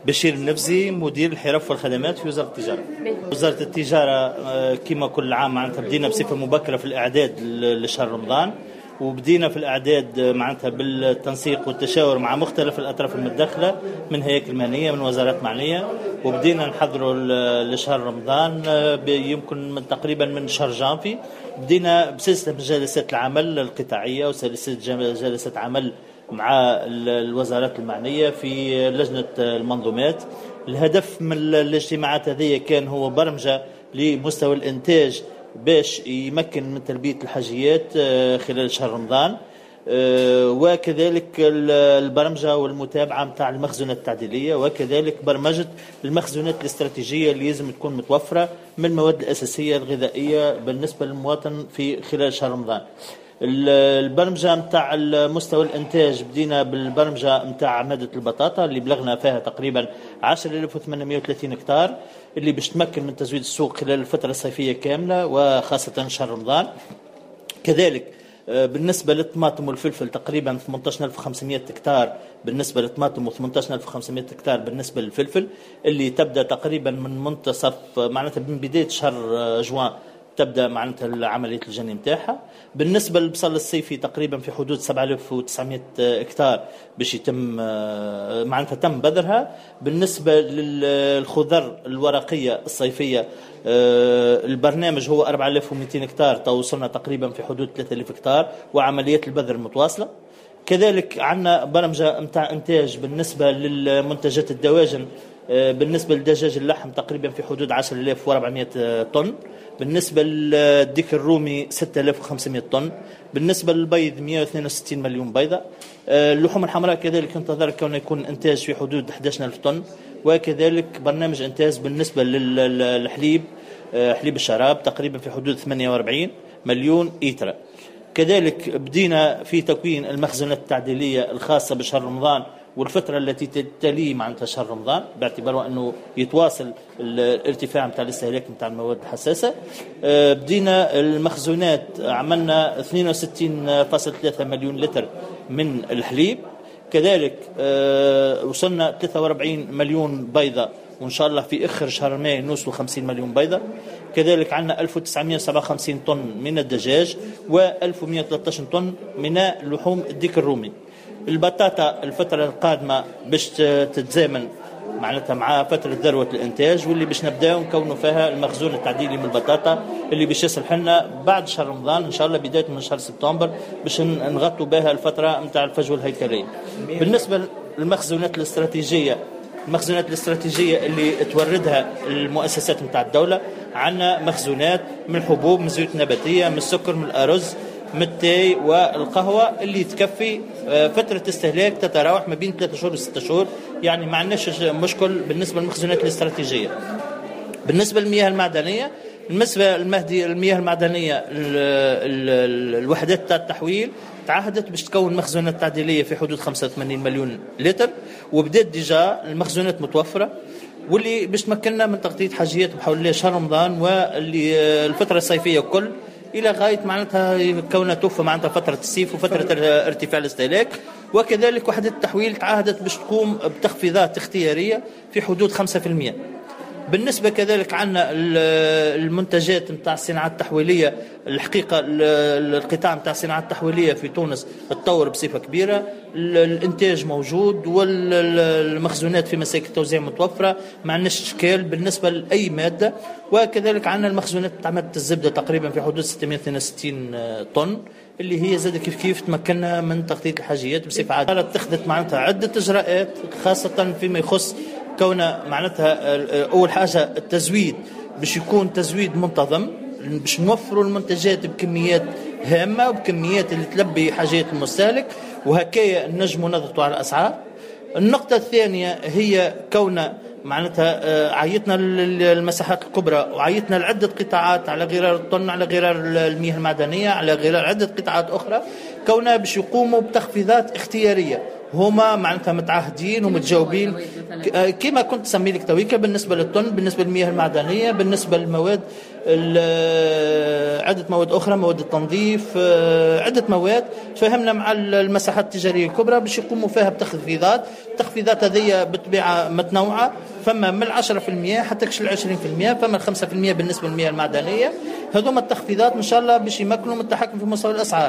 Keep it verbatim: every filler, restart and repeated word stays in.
بشير النفزي، مدير الحرف والخدمات في وزارة التجارة. وزارة التجارة كما كل عام معناتها بدينا بصفة مبكرة في الإعداد لشهر رمضان، وبدينا في الإعداد معناتها بالتنسيق والتشاور مع مختلف الأطراف المتدخلة من هياكل مهنية، من وزارات معنية، وبدينا نحضروا لشهر رمضان يمكن من تقريبا من شهر جانفي. بدينا بسلسلة من جلسات العمل القطاعية وسلسلة جلسات عمل مع الوزارات المعنية في لجنة المنظومات. الهدف من الاجتماعات هذه كان هو برمجة لمستوى الإنتاج باش يمكن من تلبية الحاجيات خلال شهر رمضان، وكذلك البرمجة والمتابعة متاع المخزونات التعديلية، وكذلك برمجة المخزونات الاستراتيجية اللي لازم تكون متوفرة من المواد الأساسية الغذائية بالنسبة للمواطن في خلال شهر رمضان. البرمجة متاع مستوى الإنتاج بدينا بالبرمجة متاع مادة البطاطا اللي بلغنا فيها تقريبا عشرة آلاف وثمانمائة وثلاثين هكتار، اللي باش تمكن من تزويد السوق خلال الفترة الصيفية كاملة وخاصة شهر رمضان. كذلك بالنسبة للطماطم والفلفل تقريبا ثمانية عشر ألف وخمسمائة هكتار بالنسبة للطماطم و ثمانية عشر ألف وخمسمائة هكتار بالنسبة للفلفل، اللي تبدأ تقريبا من منتصف معناتها من بداية شهر جوان تبدا معناتها عملية الجني نتاعها. بالنسبة للبصل الصيفي تقريبا في حدود سبعة آلاف وتسعمائة هكتار باش يتم معناتها تم بذرها. بالنسبة للخضر الورقية الصيفية البرنامج هو أربعة آلاف ومئتين هكتار، توصلنا تقريبا في حدود ثلاثة آلاف هكتار وعمليات البذر متواصلة. كذلك عندنا برمجة نتاع انتاج بالنسبة للمنتجات الدواجن، بالنسبة لدجاج اللحم تقريبا في حدود عشرة آلاف وأربعمائة طن، بالنسبة للديك الرومي ستة آلاف وخمسمائة طن، بالنسبة للبيض مئة واثنين وستين مليون بيضة. اللحوم الحمراء كذلك ينتظر كون يكون إنتاج في حدود أحد عشر ألف طن، وكذلك برنامج إنتاج بالنسبة للحليب حليب الشراب تقريبا في حدود ثمانية وأربعين مليون إيترا. كذلك بدينا في تكوين المخزونات التعديلية الخاصة بشهر رمضان والفترة التي تلي معناتها شهر رمضان، باعتبار أنه يتواصل الارتفاع نتاع الاستهلاك نتاع المواد الحساسة. بدينا المخزونات، عملنا اثنين وستين فاصلة ثلاثة مليون لتر من الحليب، كذلك وصلنا ثلاثة وأربعين مليون بيضة، وإن شاء الله في آخر شهر ماي نوصلوا خمسين مليون بيضة. كذلك عندنا ألف وتسعمائة وسبعة وخمسين طن من الدجاج و ألف ومئة وثلاثة عشر طن من لحوم الديك الرومي. البطاطا الفترة القادمة باش تتزامن معناتها مع فترة ذروة الإنتاج، واللي باش نبداو نكونوا فيها المخزون التعديلي من البطاطا اللي باش يصلح لنا بعد شهر رمضان إن شاء الله بداية من شهر سبتمبر باش نغطوا بها الفترة نتاع الفجوة الهيكلية. بالنسبة للمخزونات الاستراتيجية، المخزونات الاستراتيجية اللي توردها المؤسسات نتاع الدولة، عندنا مخزونات من الحبوب، من الزيوت النباتية، من السكر، من الأرز، من التاي والقهوة، اللي تكفي فترة استهلاك تتراوح ما بين ثلاثة شهور وستة شهور، يعني ما عندناش مشكل بالنسبة للمخزونات الاستراتيجية. بالنسبة للمياه المعدنية، بالنسبة للمهدي المياه المعدنية الوحدات تاع التحويل تعهدت باش تكون مخزونات تعديلية في حدود خمسة وثمانين مليون لتر، وبدات déjà المخزونات متوفرة، واللي باش تمكننا من تغطية حاجيات بحول الله شهر رمضان واللي الفترة الصيفية كل إلى غاية معناتها كونها توفى معناتها فترة الصيف وفترة ارتفاع الاستهلاك. وكذلك وحدة التحويل تعهدت باش تقوم بتخفيضات اختيارية في حدود خمسة بالمئة. بالنسبة كذلك عندنا المنتجات نتاع الصناعة التحويلية، الحقيقة القطاع نتاع الصناعة التحويلية في تونس تطور بصفة كبيرة، الإنتاج موجود والمخزونات في مساكن التوزيع متوفرة، ما عندناش إشكال بالنسبة لأي مادة. وكذلك عندنا المخزونات نتاع مادة الزبدة تقريبا في حدود ستمائة واثنين وستين طن، اللي هي زاد كيف كيف تمكننا من تغطية الحاجيات بصفة عادلة. اتخذت معناتها عدة إجراءات خاصة فيما يخص كون معناتها أول حاجة التزويد باش يكون تزويد منتظم، باش نوفروا المنتجات بكميات هامة وبكميات اللي تلبي حاجات المستهلك، وهكايا نجموا نضغطوا على الأسعار. النقطة الثانية هي كون معناتها عيطنا للمساحات الكبرى وعيطنا لعدة قطاعات على غرار الطن، على غرار المياه المعدنية، على غرار عدة قطاعات أخرى، كونها باش يقوموا بتخفيضات اختيارية. هما معناتها متعهدين ومتجاوبين كما كنت تسمي لك تويكا بالنسبة للطن، بالنسبة للمياه المعدنية، بالنسبة للمواد عدة مواد أخرى، مواد التنظيف، آه، عدة مواد. تفاهمنا مع المساحات التجارية الكبرى باش يقوموا فيها بتخفيضات. التخفيضات هذه بالطبيعة متنوعة، فما من العشرة في المية حتى كش العشرين في المية، فما الخمسة في المية بالنسبة للمياه المعدنية. هذوما التخفيضات إن شاء الله باش يمكنوا من التحكم في مستوى الأسعار.